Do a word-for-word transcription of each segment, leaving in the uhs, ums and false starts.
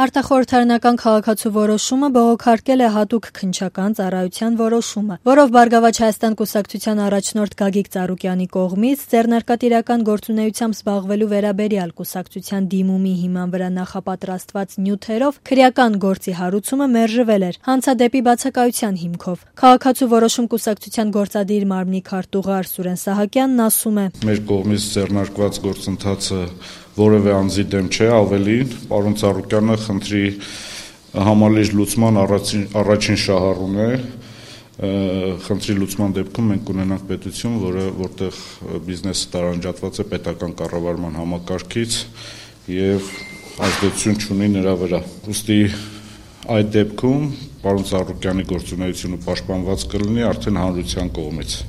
Արտախորհրդարանական քաղաքացու որոշումը բողոքարկել է հատուկ քննչական ծառայության որոշումը, որով Բարգավաճ Հայաստան կուսակցության առաջնորդ Գագիկ Ծառուկյանի կողմից ձեռնարկատիրական գործունեությամբ զբաղվելու վերաբերյալ կուսակցության դիմումի հիման վրա նախապատրաստված նյութերով քրեական գործի հարուցումը մերժվել էր հանցադեպի բացակայության հիմքով։ Քաղաքացու որոշում կուսակցության գործադիր մարմնի քարտուղար Սուրեն Սահակյանն ասում է. Մեր կողմից ձեռնարկված գործընթացը որևէ անձի դեմ չէ, ավելին, պարոն Ծառուկյանը խնդրի համալիր լուծման առաջին, առաջին շահառուն է, խնդրի լուծման դեպքում մենք ունենանք պետություն, որը որտեղ բիզնեսը տարանջատված է պետական կառավարման համակարգից եւ ազդեցություն չունի նրա վրա։ Ուստի այդ դեպքում պարոն Ծառուկյանի գործունեությունը պաշտպանված կլինի արդեն հանրության կողմից։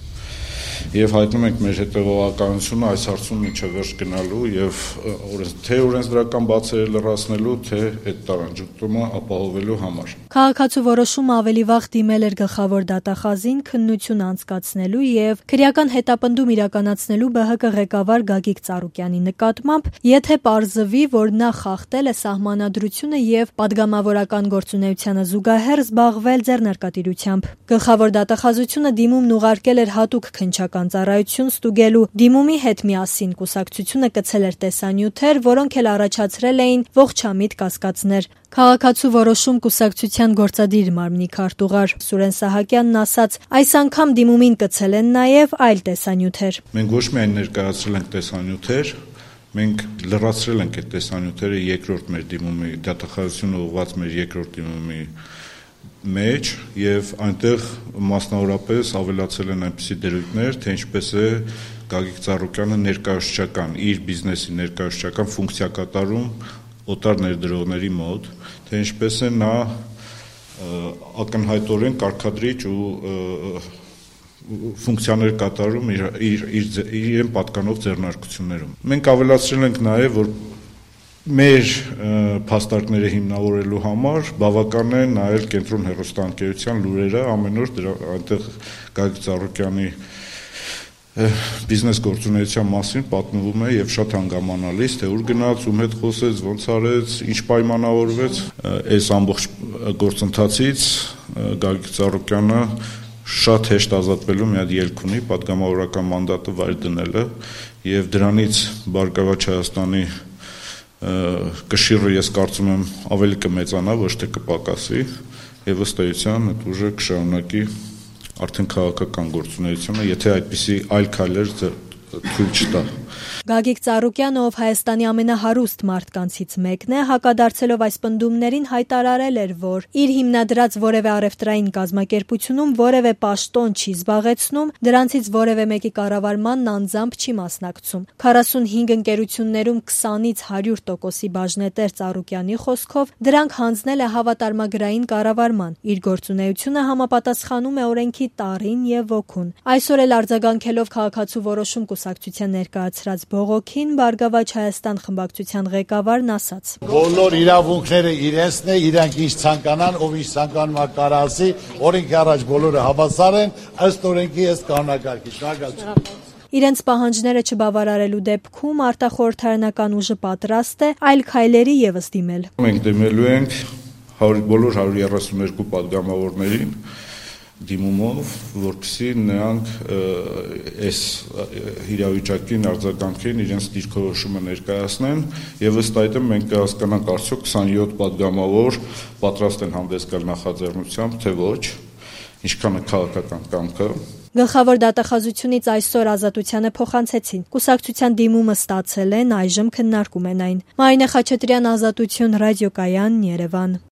Եվ հայտնում ենք մեր հետևողականությունը այս հարցում մինչև վերջ գնալու եւ թե օրենսդրական բացերը լրացնելու, թե այդ տարանջատումը ապահովելու համար։ Քաղաքացու որոշումը ավելի վաղ դիմել էր գլխավոր դատախազին քննություն անցկացնելու եւ քրեական հետապնդում իրականացնելու ԲՀԿ ղեկավար Գագիկ Ծառուկյանի նկատմամբ, եթե պարզվի, որ նա խախտել է սահմանադրությունը եւ պատգամավորական գործունեությանը զուգահեռ զբաղվել ձեռնարկատիրությամբ։ Գլխավոր դատախազությունը դիմումն ուղարկել էր հատուկ քննչական ծառայություն ստուգելու։ Դիմումի հետ միասին կուսակցությունը կցել էր տեսանյութեր, որոնք էլ առաջացրել էին ողջամիտ կասկածներ։ Քաղաքացու որոշում կուսակցության գործադիր մարմնի քարտուղար Սուրեն Սահակյանն ասաց. այս անգամ դիմումին կցել են նաև այլ տեսանյութեր։ Մենք ոչ միայն ներկայացրել ենք տեսանյութեր, մենք լրացրել ենք այդ տեսանյութերը երկրորդ մեր դիմումի, դատախազությունը ուղղված մեր երկրորդ դիմումի մեջ եւ այնտեղ մասնավորապես ավելացել են այնպիսի դրույթներ, թե ինչպես է Գագիկ Ծառուկյանը ներկայացուցչական, իր բիզնեսի ներկայացուցչական ֆունկցիա կատարում օտար ներդրողների մոտ, թե ինչպես է նա ակնհայտորեն կարգադրիչ ու ֆունկցիաներ կատարում իր իր իրեն պատկանող ձեռնարկություններում։ Մենք ավելացրել ենք նաեւ, որ մեր փաստարկները հիմնավորելու համար բավական է նայել Կենտրոն հեռուստաընկերության լուրերը, ամեն օր դրա այնտեղ Գագիկ Ծառուկյանի բիզնես գործունեության մասին պատմվում է եւ շատ հանգամանալից, թե ուր գնաց, ում հետ խոսեց, ոնց արեց, ինչ պայմանավորվեց։ Այս ամբողջ գործընթացից Գագիկ Ծառուկյանը շատ հեշտ ազատվելու մի հատ ելք ունի, պատգամավորական մանդատը վայր դնելը եւ դրանից Բարգավաճ Հայաստանի կշիռը ես կարծում եմ ավելի կմեծանա, ոչ թե կպակասի եւ ըստ էության այդ ուժը կշարունակի արդեն քաղաքական գործունեությունը, եթե այդպիսի այլ քայլեր թույլ չտա։ Գագիկ Ծառուկյանը, ով Հայաստանի ամենահարուստ մարդկանցից մեկն է, հակադարձելով այս պնդումներին հայտարարել էր, որ իր հիմնադրած որևէ առևտրային կազմակերպությունում որևէ պաշտոն չի զբաղեցնում, դրանցից որևէ մեկի կառավարմանն անձամբ չի մասնակցում։ քառասունհինգ ընկերություններում քսանից հարյուր տոկոսի բաժնետեր Ծառուկյանի խոսքով դրանք հանձնել է հավատարմագրային կառավարման։ Իր գործունեությունը համապատասխանում է օրենքի տառին եւ ոգուն։ Այսօր էլ արձագանքելով քաղաքացու որոշում կուսակցության ներկայացրած բողոքին Բարգավաճ Հայաստան խմբակցության ղեկավարն ասաց. Բոլոր իրավունքները իրենցն է, իրանք ինչ ցանկանան, ով ինչ ցանկանում է կարա ասի, օրենքի առաջ բոլորը հավասար են, ըստ օրենքի ըստ կանոնակարգի։ Շնորհակալություն։ Իրենց պահանջները չբավարարելու դեպքում արտախորհրդարանական ուժը պատրաստ է այլ քայլերի եւս դիմել։ Մենք դիմելու ենք բոլոր հարյուր երեսունհինգ պատգամավորներին դիմումով, որպեսզի նրանք այս իրավիճակին արձագանքեն, իրենց դիրքորոշումը ներկայացնեն եւ ըստ այդմ մենք կհասկանանք արդյոք քսանյոթ պատգամավոր պատրաստ են հանդես գալ նախաձեռնությամբ, թե ոչ, ինչքան է քաղաքական կամքը։ Գլխավոր դատախազությունից այսօր ազատությանը փոխանցեցին։ Կուսակցության դիմումը ստացել են, այժմ քննարկում են այն։ Մարինե Խաչատրյան, Ազատություն, ռադիոկայան, Երևան։